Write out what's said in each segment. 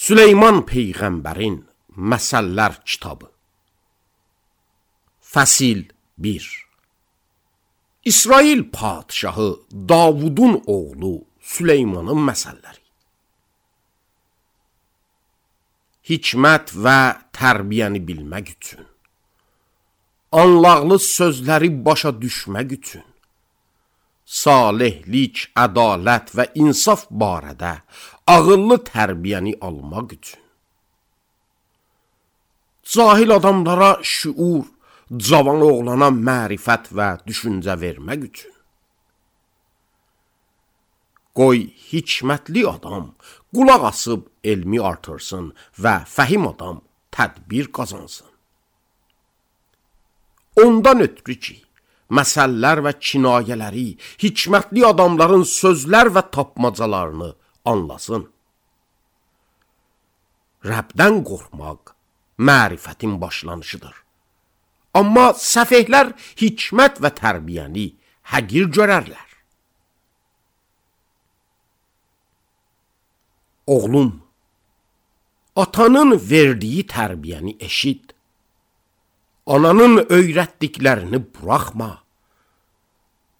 Süleyman Peyğəmbərin Məsəllər kitabı. Fəsil 1. İsrail padşahı Davudun oğlu Süleymanın məsəlləri. Hikmət və tərbiyəni bilmək üçün, anlaqlı sözləri başa düşmək üçün, salihlik, ədalət və insaf barədə ağıllı tərbiyəni almaq üçün, cahil adamlara şüur, cavan oğlana mərifət və düşüncə vermək üçün. Qoy hikmətli adam qulaq asıb elmi artırsın və fəhim adam tədbir qazansın. Ondan ötürü ki, məsəllər və kinayələri, hikmətli adamların sözlər və tapmacalarını anlasın. Rəbdən qorxmaq mərifətin başlanışıdır. Amma səfehlər hikmət və tərbiyəni həqir görərlər. Oğlum, atanın verdiyi tərbiyəni eşit. Ananın öyrətdiklərini buraxma.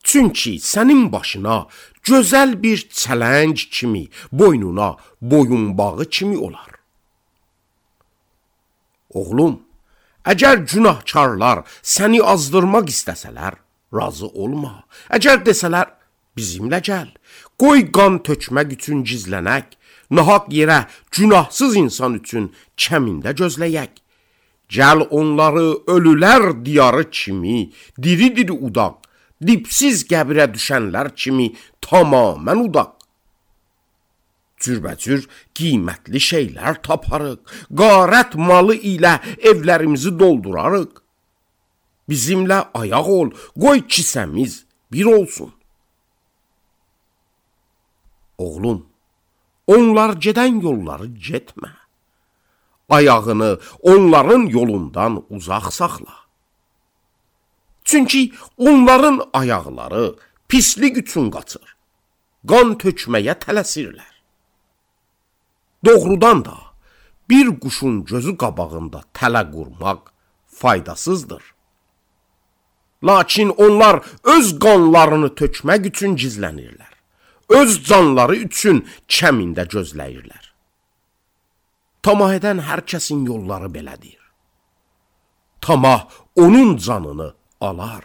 Çünki sənin başına gözəl bir çələng kimi, boynuna boyunbağı kimi olar. Oğlum, əgər günahkarlar səni azdırmaq istəsələr, razı olma. Əgər desələr, bizimlə gəl, qoy qan tökmək üçün gizlənək, nahaq yerə günahsız insan üçün kəmində gözləyək. Gəl onları ölülər diyarı kimi, diri-diri udaq, dipsiz qəbirə düşənlər kimi tamamən udaq. Cürbəcür qiymətli şeylər taparıq, qarət malı ilə evlərimizi doldurarıq. Bizimlə ayaq ol, qoy kisəmiz bir olsun. Oğlum, onlar gedən yolları getmə. Ayağını onların yolundan uzaq saxla. Çünki onların ayaqları pislik üçün qaçır, qan tökməyə tələsirlər. Doğrudan da bir quşun gözü qabağında tələ qurmaq faydasızdır. Lakin onlar öz qanlarını tökmək üçün gizlənirlər. Öz canları üçün kəmində gözləyirlər. Tamah edən hər kəsin yolları belədir. Tamah onun canını alar.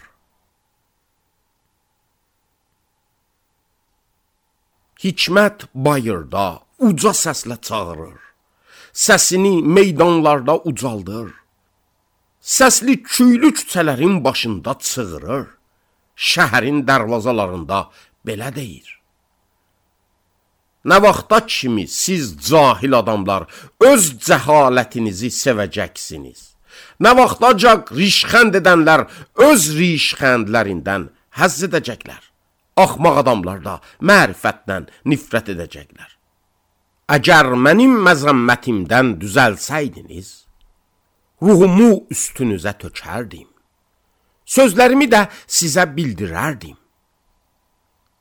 Hikmət bayırda uca səslə çağırır. Səsini meydanlarda ucaldır. Səsli küylü küçələrin başında çığırır. Şəhərin dərvazalarında belə deyir. Nə vaxta kimi siz cahil adamlar öz cəhalətinizi sevəcəksiniz? Nə vaxtacaq rişxənd edənlər öz rişxəndlərindən həzz edəcəklər? Axmaq adamlar da mərifətdən nifrət edəcəklər. Əgər mənim məzəmmətimdən düzəlsəydiniz, ruhumu üstünüzə tökərdim. Sözlərimi də sizə bildirərdim.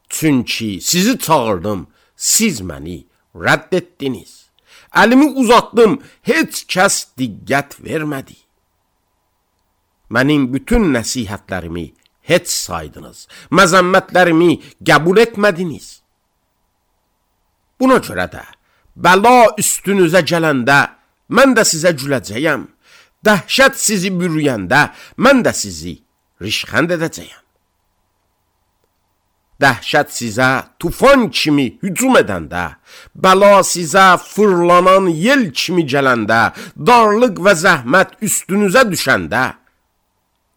Çünki sizi çağırdım, siz məni rədd etdiniz. Əlimi uzatdım, heç kəs diqqət vermədi. Mənim bütün nəsihətlərimi heç saydınız, məzəmmətlərimi qəbul etmədiniz. Buna görə də, bəla üstünüzə gələndə, mən də sizə güləcəyəm. Dəhşət sizi bürüyəndə, mən də sizi rişxənd edəcəyəm. Dəhşət sizə tufan kimi hücum edəndə, bəla sizə fırlanan yel kimi gələndə, darlıq və zəhmət üstünüzə düşəndə,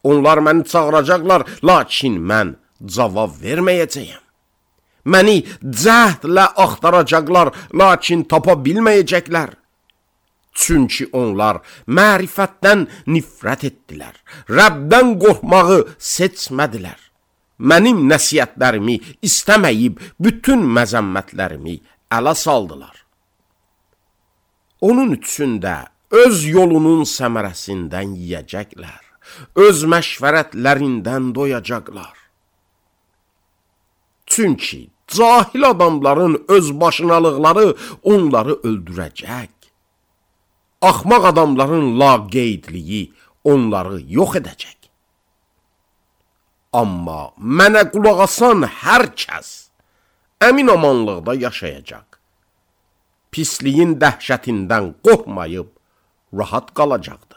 onlar məni çağıracaqlar, lakin mən cavab verməyəcəyəm. Məni cəhdlə axtaracaqlar, lakin tapa bilməyəcəklər. Çünki onlar mərifətdən nifrət etdilər, Rəbdən qorxmağı seçmədilər. Mənim nəsiyyətlərimi istəməyib, bütün məzəmmətlərimi ələ saldılar. Onun üçün də öz yolunun səmərəsindən yiyəcəklər, öz məşvərətlərindən doyacaqlar. Çünki Cahil adamların özbaşınalıqları onları öldürəcək. Axmaq adamların laqeydliyi onları yox edəcək. Amma mənə qulaq asan hər kəs əmin-amanlıqda yaşayacaq. Pisliyin dəhşətindən qorxmayıb rahat qalacaqdır.